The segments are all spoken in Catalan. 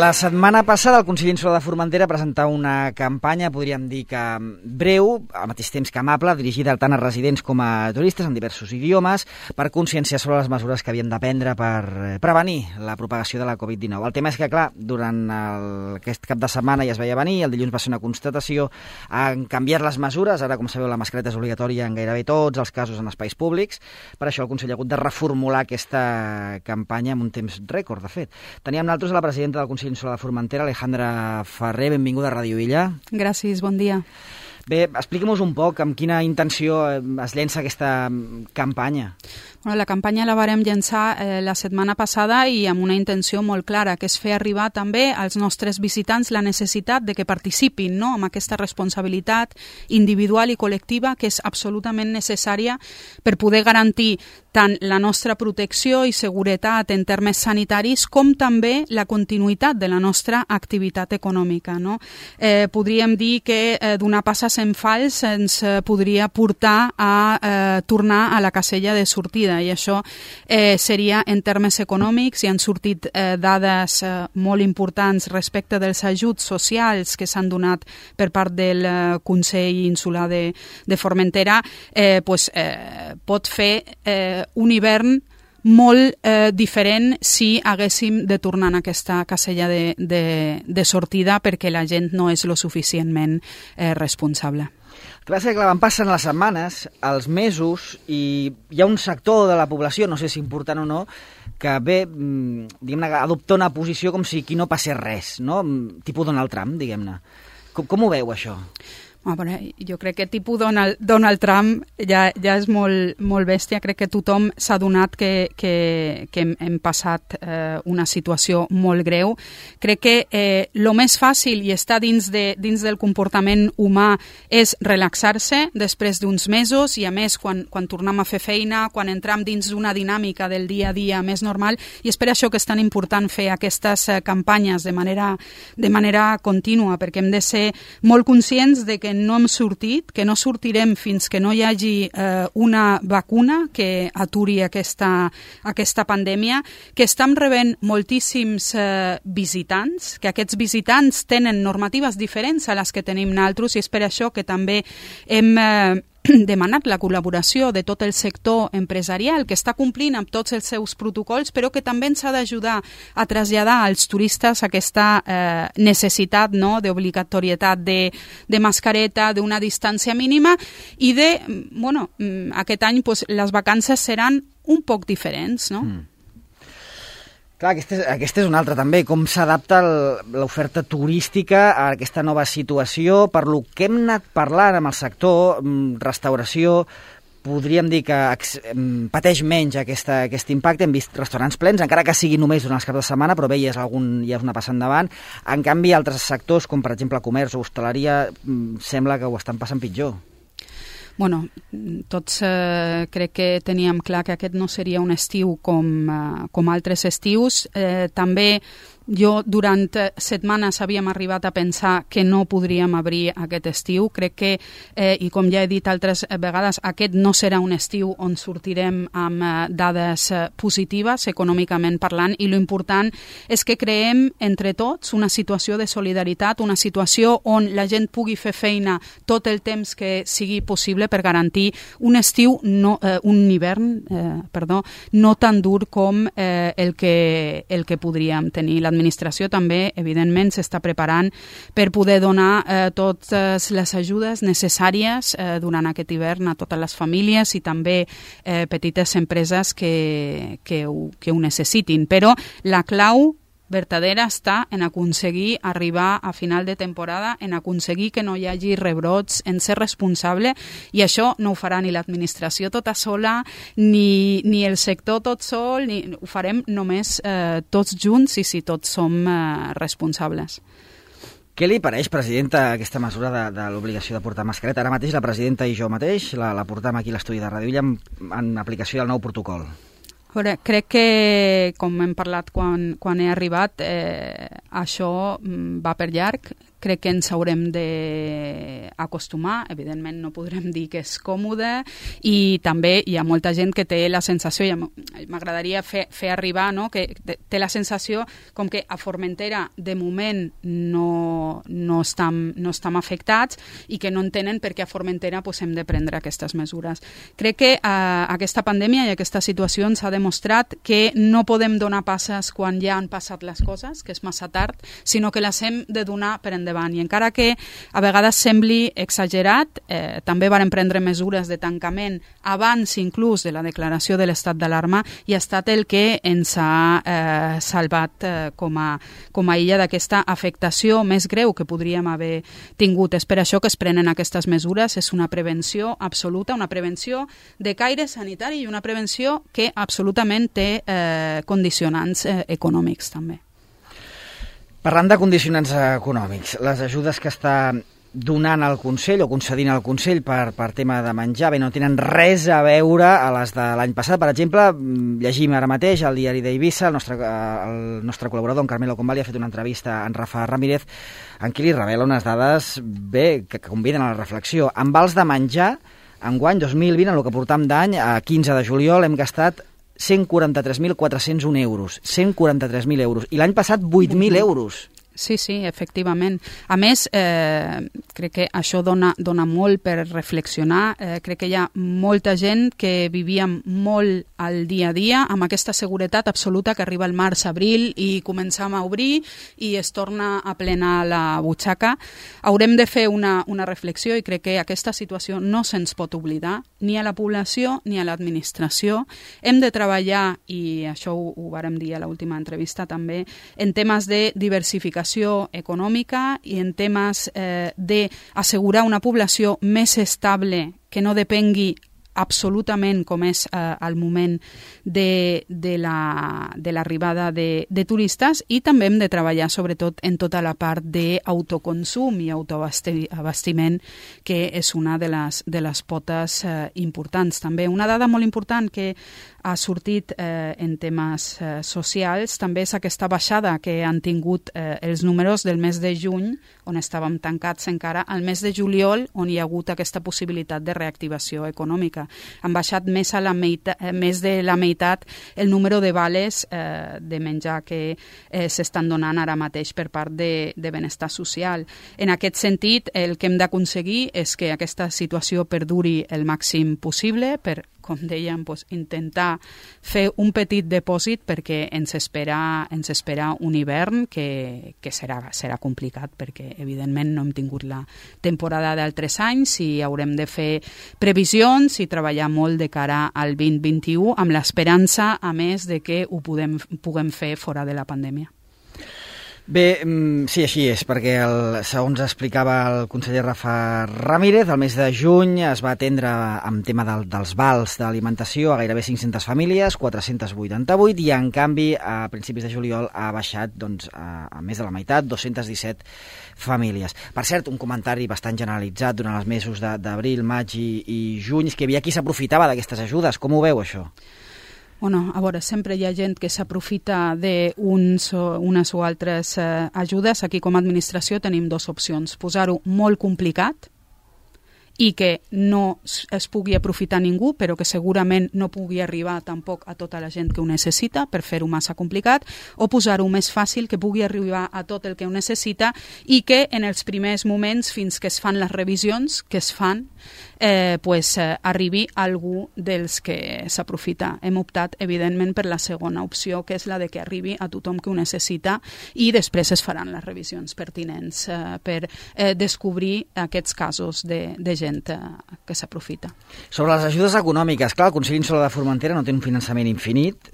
La setmana passada el Consell Insular de Formentera presentava una campanya, podríem dir que breu, al mateix temps que amable, dirigida tant a residents com a turistes en diversos idiomes, per conscienciar sobre les mesures que havien de prendre per prevenir la propagació de la Covid-19. El tema és que, clar, durant aquest cap de setmana ja es veia venir, el dilluns va ser una constatació, han canviat les mesures, ara, com sabeu, la mascareta és obligatòria en gairebé tots els casos en espais públics, per això el Consell ha hagut de reformular aquesta campanya en un temps rècord, de fet. Teníem nosaltres a la presidenta del Consell Insular de Formentera, Alejandra Ferrer, benvinguda a Ràdio Illa. Gràcies, bon dia. Bé, expliquem-nos un poc amb quina intenció es llença aquesta campanya. Bueno, la campanya la vàrem llançar la setmana passada i amb una intenció molt clara, que és fer arribar també als nostres visitants la necessitat de que participin, no?, amb aquesta responsabilitat individual i col·lectiva que és absolutament necessària per poder garantir tant la nostra protecció i seguretat en termes sanitaris com també la continuïtat de la nostra activitat econòmica, no? Podríem dir que donar passes en fals ens podria portar a tornar a la casella de sortida, i això seria en termes econòmics. Hi han sortit dades molt importants respecte dels ajuts socials que s'han donat per part del Consell Insular de Formentera. Pot fer un hivern molt diferent si haguéssim de tornar en aquesta casella de sortida perquè la gent no és lo suficientment responsable. El que passa és que van passant les setmanes, els mesos, i hi ha un sector de la població, no sé si important o no, que ve, diguem-ne, adoptar una posició com si aquí no passés res, no? Tipus Donald Trump, diguem-ne. Com ho veu, això? Jo crec que tipus Donald Trump ja és molt bèstia. Crec que tothom s'ha adonat que hem passat una situació molt greu. Crec que el més fàcil i està dins del comportament humà és relaxar-se després d'uns mesos, i a més quan tornem a fer feina, quan entrem dins d'una dinàmica del dia a dia més normal, i és per això que és tan important fer aquestes campanyes de manera contínua, perquè hem de ser molt conscients de que no hem sortit, que no sortirem fins que no hi hagi una vacuna que aturi aquesta pandèmia, que estem rebent moltíssims visitants, que aquests visitants tenen normatives diferents a les que tenim nosaltres, i és per això que també hem demanat la col·laboració de tot el sector empresarial, que està complint amb tots els seus protocols, però que també ens ha d'ajudar a traslladar als turistes aquesta necessitat, no?, d'obligatorietat de mascareta, d'una distància mínima, i aquest any les vacances seran un poc diferents, no? Clar, aquesta és una altra també, com s'adapta l'oferta turística a aquesta nova situació. Per lo que hem anat parlant amb el sector, restauració, podríem dir que pateix menys aquest impacte. Hem vist restaurants plens, encara que sigui només durant els caps de setmana, però bé, ja és una passa endavant. En canvi, altres sectors, com per exemple comerç o hostaleria, sembla que ho estan passant pitjor. Tots crec que teníem clar que aquest no seria un estiu com altres estius. També jo durant setmanes havíem arribat a pensar que no podríem obrir aquest estiu. Crec que, i com ja he dit altres vegades, aquest no serà un estiu on sortirem amb dades positives econòmicament parlant, i l'important és que creem entre tots una situació de solidaritat, una situació on la gent pugui fer feina tot el temps que sigui possible per garantir un hivern no tan dur com el que podríem tenir. L'administració també, evidentment, s'està preparant per poder donar totes les ajudes necessàries durant aquest hivern a totes les famílies i també petites empreses que ho necessitin. Però la clau vertadera està en aconseguir arribar a final de temporada, en aconseguir que no hi hagi rebrots, en ser responsable, i això no ho farà ni l'administració tota sola, ni el sector tot sol, ho farem només tots junts i si tots som responsables. Què li pareix, presidenta, aquesta mesura de l'obligació de portar mascareta? Ara mateix la presidenta i jo mateix la portam aquí a l'estudi de Ràdio Illa en aplicació del nou protocol. Veure, crec que, com hem parlat quan he arribat, això va per llarg. Crec que ens haurem d'acostumar. Evidentment no podrem dir que és còmode, i també hi ha molta gent que té la sensació, i m'agradaria fer arribar, no?, que té la sensació com que a Formentera de moment no estem afectats i que no entenen per què a Formentera hem de prendre aquestes mesures. Crec que aquesta pandèmia i aquesta situació ens ha demostrat que no podem donar passes quan ja han passat les coses, que és massa tard, sinó que les hem de donar per endavant. I encara que a vegades sembli exagerat, també varen prendre mesures de tancament abans inclús de la declaració de l'estat d'alarma, i ha estat el que ens ha salvat com a illa d'aquesta afectació més greu que podríem haver tingut. És per això que es prenen aquestes mesures. És una prevenció absoluta, una prevenció de caire sanitari i una prevenció que absolutament té condicionants econòmics també. Parlant de condicionants econòmics, les ajudes que està donant el Consell o concedint el Consell per tema de menjar, bé, no tenen res a veure a les de l'any passat. Per exemple, llegim ara mateix al diari d'Eivissa, el nostre col·laborador, en Carmelo Convalli, ha fet una entrevista a en Rafa Ramírez en què li revela unes dades bé que conviden a la reflexió. En vals de menjar, enguany 2020, en el que portam d'any, a 15 de juliol, hem gastat 143.401 euros. 143.000 euros. I l'any passat 8.000 euros. Sí, efectivament. A més, crec que això dona molt per reflexionar. Crec que hi ha molta gent que vivia molt al dia a dia amb aquesta seguretat absoluta que arriba el març-abril i començam a obrir i es torna a plenar la butxaca. Haurem de fer una reflexió, i crec que aquesta situació no se'ns pot oblidar, ni a la població ni a l'administració. Hem de treballar, i això ho vàrem dir a l'última entrevista també, en temes de diversificació econòmica i en temes d'assegurar una població més estable que no depengui absolutament, com és al moment de l'arribada de turistes, i també hem de treballar sobretot en tota la part d'autoconsum i autoabastiment, que és una de les potes importants. També una dada molt important que ha sortit en temes socials també és aquesta baixada que han tingut els números del mes de juny, on estàvem tancats encara, al mes de juliol, on hi ha hagut aquesta possibilitat de reactivació econòmica. Han baixat més de la meitat el número de vales de menjar que s'estan donant ara mateix per part de benestar social. En aquest sentit, el que hem d'aconseguir és que aquesta situació perduri el màxim possible per, com dèiem, intentar fer un petit depòsit, perquè ens espera un hivern que serà complicat, perquè evidentment no hem tingut la temporada d'altres anys i haurem de fer previsions i treballar molt de cara al 2021 amb l'esperança, a més, de que ho puguem fer fora de la pandèmia. Bé, sí, així és, perquè segons explicava el conseller Rafa Ramírez, el mes de juny es va atendre amb tema dels vals d'alimentació a gairebé 500 famílies, 488, i en canvi a principis de juliol ha baixat a més de la meitat, 217 famílies. Per cert, un comentari bastant generalitzat durant els mesos d'abril, maig i juny, és que hi havia qui s'aprofitava d'aquestes ajudes. Com ho veu, això? Bueno, a veure, sempre hi ha gent que s'aprofita d'unes o altres ajudes. Aquí, com a administració, tenim dues opcions. Posar-ho molt complicat i que no es pugui aprofitar ningú, però que segurament no pugui arribar tampoc a tota la gent que ho necessita, per fer-ho massa complicat, o posar-ho més fàcil, que pugui arribar a tot el que ho necessita i que en els primers moments, fins que es fan les revisions que es fan, arribi algú dels que s'aprofita. Hem optat, evidentment, per la segona opció, que és la de que arribi a tothom que ho necessita, i després es faran les revisions pertinents per descobrir aquests casos de gent que s'aprofita. Sobre les ajudes econòmiques, clar, el Consell Insular de Formentera no té un finançament infinit,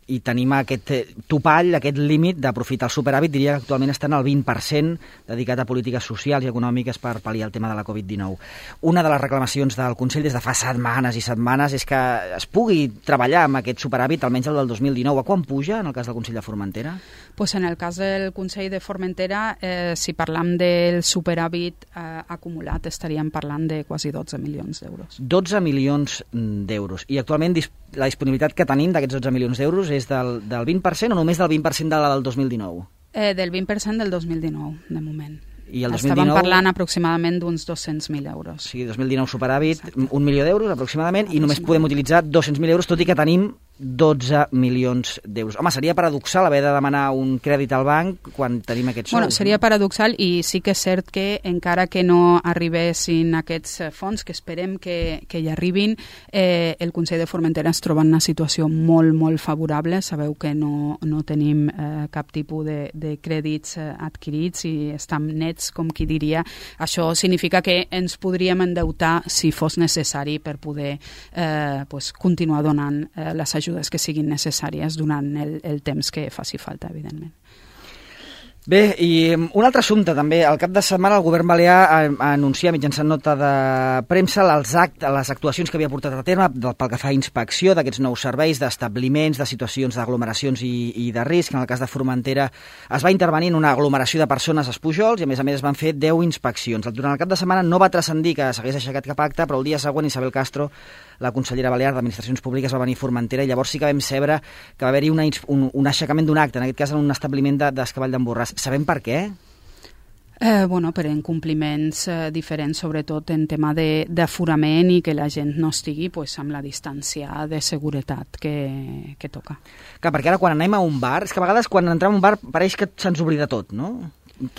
i tenim aquest topall, aquest límit d'aprofitar el superàvit, diria que actualment estan al 20% dedicat a polítiques socials i econòmiques per pal·liar el tema de la Covid-19. Una de les reclamacions del Consell des de fa setmanes i setmanes és que es pugui treballar amb aquest superàvit, almenys el del 2019. A quan puja en el cas del Consell de Formentera? Pues en el cas del Consell de Formentera, si parlam del superàvit acumulat, estaríem parlant de quasi 12 milions d'euros. 12 milions d'euros. I actualment la disponibilitat que tenim d'aquests 12 milions d'euros és del 20% o només del 20% de la del 2019? Del 20% del 2019, de moment. I el 2019... Estàvem parlant aproximadament d'uns 200.000 euros. O sigui, 2019 superàvit, 1 milió d'euros aproximadament, i només podem utilitzar 200.000 euros, tot i que tenim 12 milions d'euros. Home, seria paradoxal haver de demanar un crèdit al banc quan tenim aquests sous. Bueno, seria paradoxal, i sí que és cert que encara que no arribessin aquests fons, que esperem que hi arribin, el Consell de Formentera es troba en una situació molt, molt favorable. Sabeu que no tenim cap tipus de crèdits adquirits i estem nets, com qui diria. Això significa que ens podríem endeutar si fos necessari per poder continuar donant les ajudes que siguin necessàries durant el temps que faci falta, evidentment. Bé, i un altre assumpte també. Al cap de setmana el govern balear anuncia mitjançant nota de premsa les actuacions que havia portat a terme pel que fa a inspecció d'aquests nous serveis, d'establiments, de situacions d'aglomeracions i de risc. En el cas de Formentera es va intervenir en una aglomeració de persones als Pujols i a més es van fer 10 inspeccions. Durant el cap de setmana no va transcendir que s'hagués aixecat cap acte, però el dia següent Isabel Castro, la consellera balear d'Administracions Públiques, va venir a Formentera i llavors sí que vam saber que va haver-hi un aixecament d'un acte, en aquest cas en un establiment d'Escavall d'en Borràs. Sabem per què? Per incompliments diferents, sobretot en tema d'aforament i que la gent no estigui amb la distància de seguretat que toca. Clar, perquè ara quan anem a un bar, és que a vegades quan entrem a un bar pareix que se'ns oblida tot, no?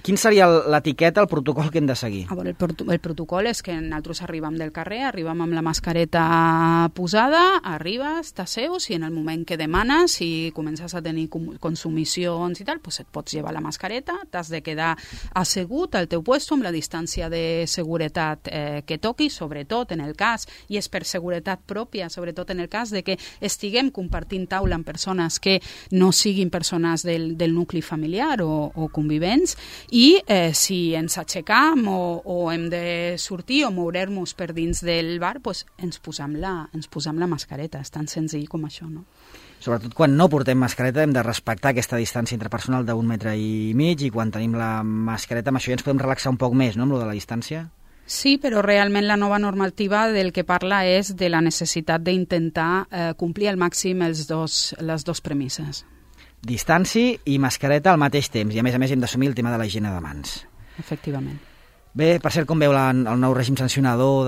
Quin seria l'etiqueta, el protocol que hem de seguir? El protocol és que nosaltres arribem del carrer, arribem amb la mascareta posada, arribes, t'asseus i en el moment que demanes, si comences a tenir consumicions i tal, et pots llevar la mascareta, t'has de quedar assegut al teu puesto amb la distància de seguretat que toqui, sobretot en el cas, i és per seguretat pròpia, sobretot en el cas de que estiguem compartint taula amb persones que no siguin persones del nucli familiar o convivents, i si ens aixecam o hem de sortir o moure-nos per dins del bar, ens posam la mascareta. És tan senzill com això, no? Sobretot quan no portem mascareta hem de respectar aquesta distància interpersonal d'1,5 metres i quan tenim la mascareta, amb això ja ens podem relaxar un poc més, no?, amb lo de la distància. Sí, però realment la nova normativa del que parla és de la necessitat d'intentar complir al màxim les dos premisses. Distància i mascareta al mateix temps, i a més hem d'assumir el tema de la higiene de mans. Efectivament. Bé, per cert, com veu el nou règim sancionador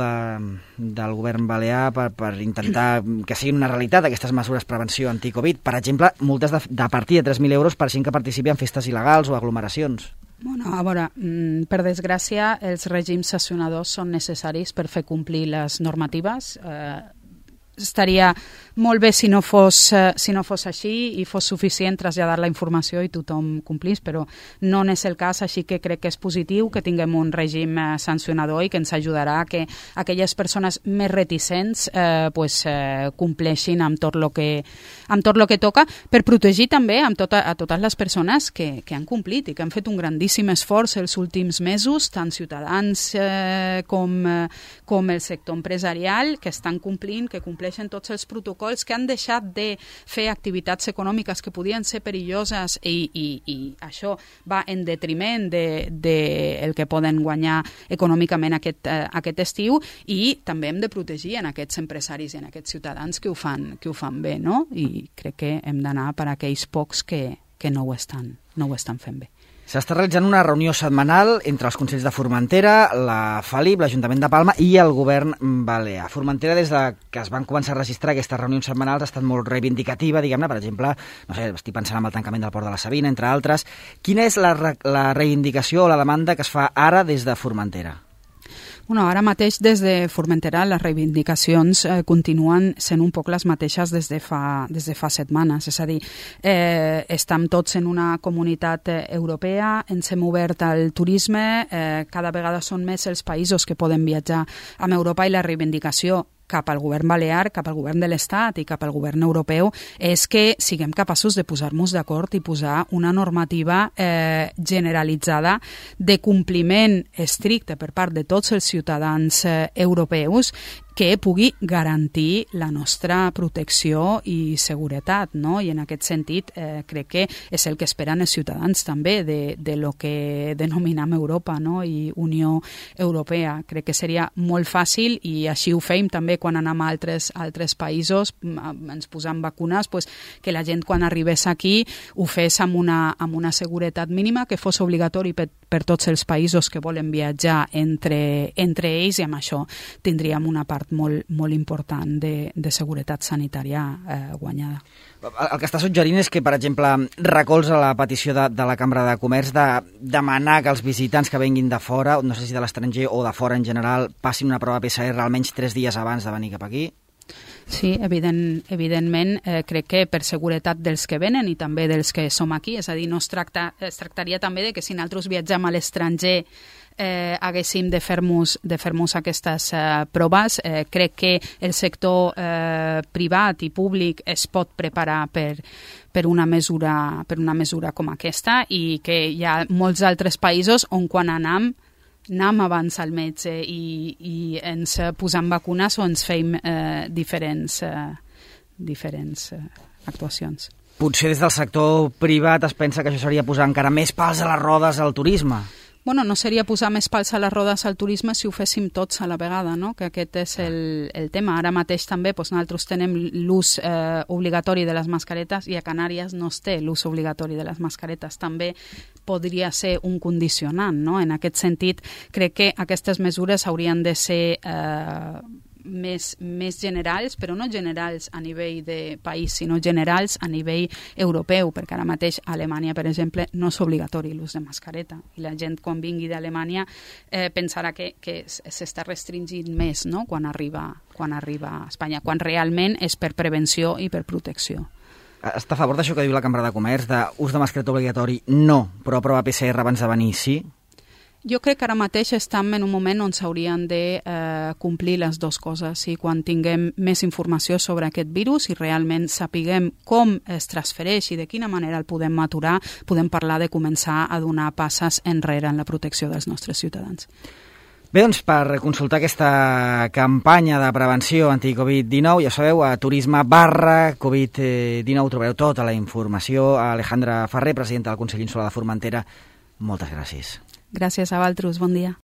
del govern balear per intentar que siguin una realitat aquestes mesures de prevenció anti-Covid? Per exemple, multes de partir de 3.000 euros per gent que participi en festes il·legals o aglomeracions. Bueno, a veure, per desgràcia, els règims sancionadors són necessaris per fer complir les normatives. Estaria molt bé si no fos així i fos suficient traslladar la informació i tothom complís, però no és el cas, així que crec que és positiu que tinguem un règim sancionador i que ens ajudarà a que aquelles persones més reticents compleixin amb tot lo que toca, per protegir també a totes les persones que han complit i que han fet un grandíssim esforç els últims mesos, tant ciutadans com el sector empresarial, que estan complint, que compleixen tots els protocols, que han deixat de fer activitats econòmiques que podien ser perilloses i això va en detriment del que poden guanyar econòmicament aquest estiu, i també hem de protegir en aquests empresaris i en aquests ciutadans que ho fan bé, no? I crec que hem d'anar per aquells pocs que no ho estan fent bé. S'està realitzant una reunió setmanal entre els Consells de Formentera, la FALIP, l'Ajuntament de Palma i el Govern balear. Formentera, des que es van començar a registrar aquestes reunions setmanals, ha estat molt reivindicativa, diguem-ne. Per exemple, no sé, estic pensant en el tancament del port de la Sabina, entre altres. Quina és la reivindicació o la demanda que es fa ara des de Formentera? Bueno, ara mateix des de Formentera les reivindicacions continuen sent un poc les mateixes des de fa setmanes. És a dir, estem tots en una comunitat europea, ens hem obert al turisme, cada vegada són més els països que poden viatjar amb Europa i la reivindicació cap al govern balear, cap al govern de l'Estat i cap al govern europeu és que siguem capaços de posar-nos d'acord i posar una normativa generalitzada de compliment estricte per part de tots els ciutadans europeus que pugui garantir la nostra protecció i seguretat, no? I en aquest sentit crec que és el que esperen els ciutadans també de lo que denominem Europa, no? I Unió Europea. Crec que seria molt fàcil i així ho fèiem també quan anem a altres països, ens posam vacunes, pues, que la gent quan arribés aquí ho fes amb una seguretat mínima, que fos obligatori per tots els països que volen viatjar entre ells, i amb això tindríem una part molt important de seguretat sanitària guanyada. El que està suggerint és que, per exemple, recolza la petició de la Cambra de Comerç de demanar que els visitants que venguin de fora, no sé si de l'estranger o de fora en general, passin una prova PCR almenys 3 dies abans de venir cap aquí. Sí, evidentment, crec que per seguretat dels que venen i també dels que som aquí, és a dir, es tractaria també de que si nosaltres viatgem a l'estranger haguéssim de fer-nos aquestes proves. Crec que el sector privat i públic es pot preparar per una mesura com aquesta, i que hi ha molts altres països on quan anem abans al metge i ens posam vacunes o ens feim diferents actuacions. Potser des del sector privat es pensa que això seria posar encara més pals a les rodes al turisme. Bueno, no seria posar més pals a les rodes al turisme si ho féssim tots a la vegada, no? Que aquest és el tema. Ara mateix també nosaltres tenem l'ús obligatori de les mascaretes i a Canàries no es té l'ús obligatori de les mascaretes. També podria ser un condicionant, no? En aquest sentit, crec que aquestes mesures haurien de ser més generals, però no generals a nivell de país, sinó generals a nivell europeu, perquè ara mateix a Alemanya, per exemple, no és obligatori l'ús de mascareta, i la gent quan vingui d'Alemanya pensarà que s'està restringint més, no? quan arriba a Espanya, quan realment és per prevenció i per protecció. Està a favor d'això que diu la Cambra de Comerç, d'ús de mascareta obligatori no, però prova PCR abans de venir sí? Jo crec que ara mateix estem en un moment on s'haurien de complir les dues coses, i quan tinguem més informació sobre aquest virus i realment sapiguem com es transfereix i de quina manera el podem aturar, podem parlar de començar a donar passes enrere en la protecció dels nostres ciutadans. Bé, doncs, per consultar aquesta campanya de prevenció anti-Covid-19, ja sabeu, a turisme/Covid-19 trobareu tota la informació. Alejandra Ferrer, presidenta del Consell Insular de Formentera, moltes gràcies. Gràcies a vosaltres, bon dia.